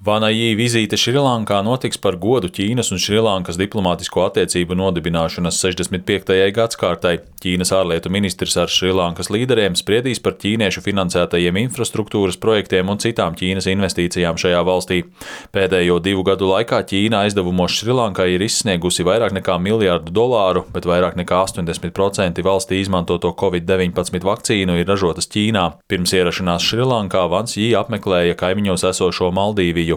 Vana Jī vizīte Šrilankā notiks par godu Ķīnas un Šrilankas diplomātisko attiecību nodibināšanas 65. gadskārtai. Ķīnas ārlietu ministrs ar Šrilankas līderiem spriedīs par ķīniešu finansētajiem infrastruktūras projektiem un citām Ķīnas investīcijām šajā valstī. Pēdējo 2 gadu laikā Ķīna aizdevumos Šrilankai ir izsniegusi vairāk nekā $1 miljardu, bet vairāk nekā 80% valstī izmantoto Covid-19 vakcīnu ir ražotas Ķīnā. Pirms ierašanās Šrilankā Vans Jī apmeklēja kaimiņos esošo Maldīviju